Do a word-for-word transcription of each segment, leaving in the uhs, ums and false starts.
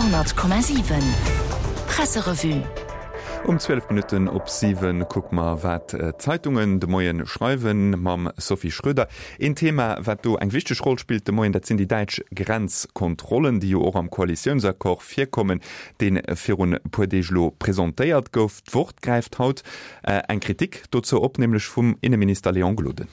Radio honnert Komma siwen Presserevue. Um zwielef Minutten op siwen kucke mer, wat d'Zeitungen de Moien schreiwen, mam Sophie Schröder. Een Thema, wat do eng wichteg Roll spillt de Moien, dat sinn déi däitsch Grenzkontrollen, déi jo och am Koalitiounsaccord virkommen, dee virun e puer Deeg elo presentéiert gouf. D'Wort gräift haut eng Kritik dozou op, nämlech vum Inneminister Léon Gloden.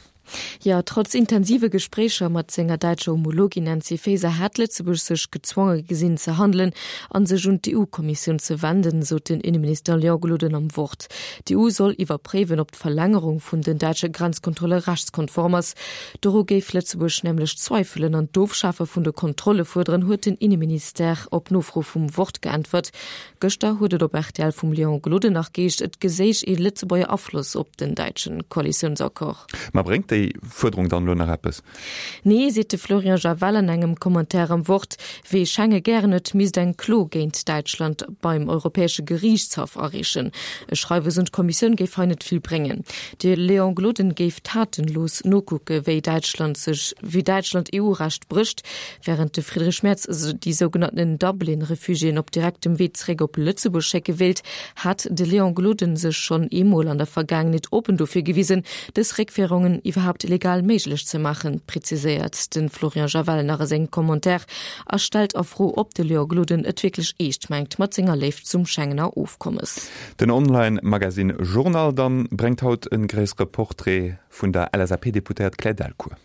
Jo, trotz intensive Gespréicher mat senger däitscher Homologin Nancy Faeser hätt Lëtzebuerg sech gezwonge gesinn ze handelen a sech un d'EU-Kommissioun ze wenden, sot den Inneminister Léon Gloden am Wort. D'EU soll iwwerpréiwen, ob d'Verlängerung vun den däitsche Grenzkontrolle rechtskonform ass. Doru géif Lëtzebuerg nämlech zweifelen an d'Ofschafe vun de Kontrolle fuerderen, huet den Inneminister op Nofro vum Wort geäntwert. Gëschter huet et op rtl vum Léon Gloden nach geheescht, et geséich ee Lëtzebuerger Afloss op den däitschen Koalitiounsaccord. Ma bréngt déi Fuerderung dann elo nach eppes? Nee, seet de Florian Javel an engem Commentaire am Wort. Wee Schenge gären huet, misst eng Klo géint Däitschland beim Europäesche Geriichtshaff areechen. E Schreiwes un d'Kommissioun géif hei net vill bréngen. De Léon Gloden géif tatenlos nokucke wéi Däitschland sech, wéi Däitschland E U-Recht brécht, wärend de Friedrich Merz déi sougenannten Dublin-Refugiéen op direktem Wee zeréck op Lëtzebuerg schécke wéilt, hat de Léon Gloden sech schonn eemol an der Vergaangenheet oppen dofir gewisen, dës Réckféierungen iwwerhaapt legal méiglech ze maachen, preziséiert de Florian Javel nach a sengem Commentaire a stellt a Fro, ob de Léon Gloden et wierklech eescht mengt mat senger Léift zum Schengener Ofkommes. Den Online-Magasinn Journal dann bréngt haut e gréissere Portrait vun der L S A P-Deputéiert Claire Delcourt.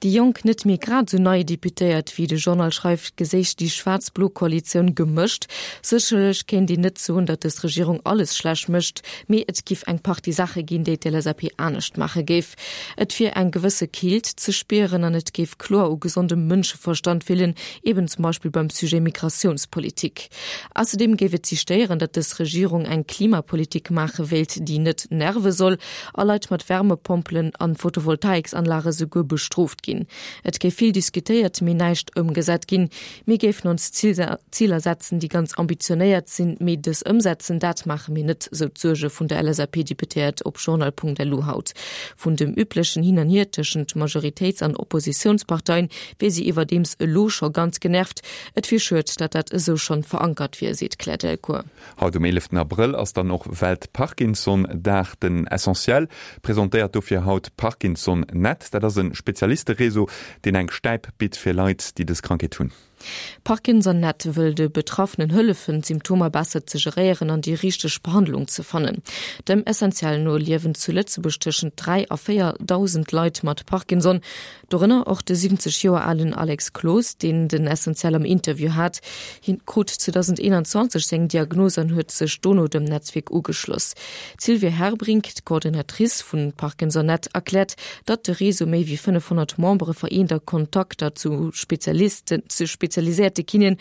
Déi jonk, net méi grad sou nei Deputéiert, wéi de Journal schreift, geséich déi schwaarz-blo Koalitioun gemëscht. Sécherlech kéint een net soen, datt dës Regierung alles schlecht mécht, mee et giff eng Partie Saache ginn, déi d'L S A P anescht maache géif. Et wier eng gewësse Keelt ze spieren an et géif kloer u gesondem Mënscheverstand feelen, eben zum Beispill beim Sujet Migratiounspolitik. Ausserdeem géif et si stéieren, datt dës Regierung eng Klimapolitik maache wéilt, déi net nerve soll a Leit mat Wärmepompelen an Photovoltaiksanlage souguer bestrooft ginn. Et géif vill diskutéiert, mee näischt ëmgesat ginn. Mir géifen ons Ziler setzen, déi ganz ambitionéiert sinn, mee dës ëmsetzen, dat maache mir net, sou d'Suerge vun der L S A P-Deputéiert op journal Punkt L U haut. Vun dem üblechen Hin an Hier tëschent Majoritéits an Oppositiounsparteien wier si iwwerdeems elo scho ganz genervt. Et wier schued, datt dat esou schonn verankert wier, seet d'Claire Delcourt. Haut um eeleften Abrëll ass dann och Welt-Parkinson-Dag. Den Essentiel presentéiert dofir haut Parkinson Net. Dat ass e Spezialiste-Réseau, deen eng Stäip bitt fir Leit, déi dës Krankheet hunn. Parkinson Net wëll de Betraffenen hëllefen, d'Symptomer besser ze geréieren an déi richteg Behandlung ze fannen. Dem Essentiel no liewen zu Lëtzebuerg tëschent dräi a véierdausend Leit mat Parkinson, dorënner och de siwwenzeg Joer alen Alex Cloos, deen den Essentiel am Interview hat. Hien krut zweedausendeenanzwanzeg seng Diagnos an huet sech dono dem Netzwierk ugeschloss. D'Sylvie Herbrink, d'Coordinatrice vun Parkinson Net, erkläert, datt de Réseau méi wéi fënnefhonnert Membere vereent a Kontakter zu Spezialisten, zu spezialiséierte Kinéen,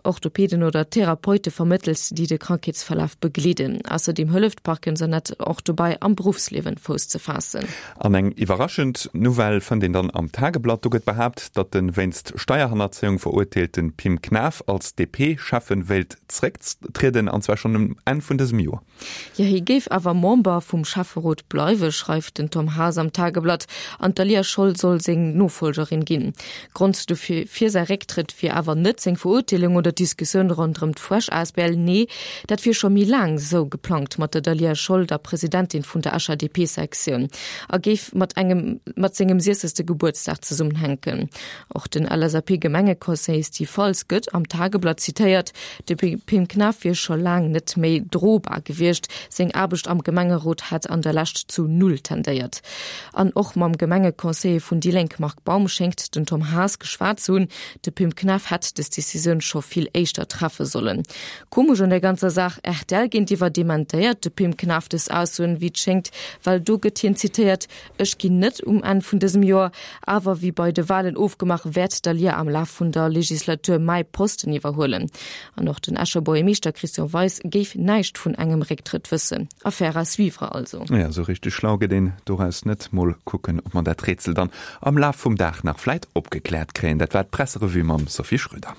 Orthopeden oder Therapeute vermëttelt, déi de Krankheetsverlaf begleeden. Ausserdeem hëlleft Parkinson Net och dobäi, am Beruffsliewen Fouss ze faassen. An eng iwwerraschend Nouvelle fënnt een dann am Tageblatt. Do gëtt behaapt, datt de wéinst Steierhannerzéiung verurteelte Pim Knaff als D P-Schäffe wéilt zrécktrieden, an zwar schonn um Enn vun dësem Joer. Jo, hie géif awer Member vum Schäfferot bleiwen, schreift den Tom Haas am Tageblatt, an d'Daliah Scholl soll seng Nofollgerin ginn. Grond dofir fir säi Récktrëtt wier awer net seng Verurteelung oder d'Diskussioun ronderëm d'Fuersch A S B L. Nee, dat wier scho méi laang sou geplangt mat der Daliah Scholl, der Presidentin vun der Escher D P-Sektioun, a géif mat engem mat sengem siechzegste Gebuertsdag zesummenhänken. Och den L S A P-Gemengeconseiller Steve Faltz gëtt am Tageblatt zitéiert, de Pim Knaff wier scho laang net méi drobar gewiescht, seng Aarbecht am Gemengerot hätt an der Lescht zu null tendéiert. An och mam Gemengeconseiller vun déi Lénk Marc Baum schéngt den Tom Haas geschwat ze hunn, de Pim Knaff hätt des Decisioun scho vill éischter treffe sollen. Komesch un der ganzer Saach, R T L géintiwwer dementéiert de Pim Knaff des Aussoen, wéi et schéngt, well do gëtt hien zitéiert, Ech ginn net um Enn vun dësem Joer, awer wéi bei de Walen ofgemaach, wäert d'Daliah am Laf vun der Legislatur mäi Posten iwwerhuelen. An och den Escher Buergermeeschter Christian Weis géif näischt vun engem Récktrëtt wëssen. Affaire à suivre also. Ja, sou richteg schlau gëtt een doraus net. Mol kucken, ob mer dat Rätsel dann am Laf vum Dag nach vläit opgekläert kréien. Dat war d'Presserevue mam Sophie Schröder.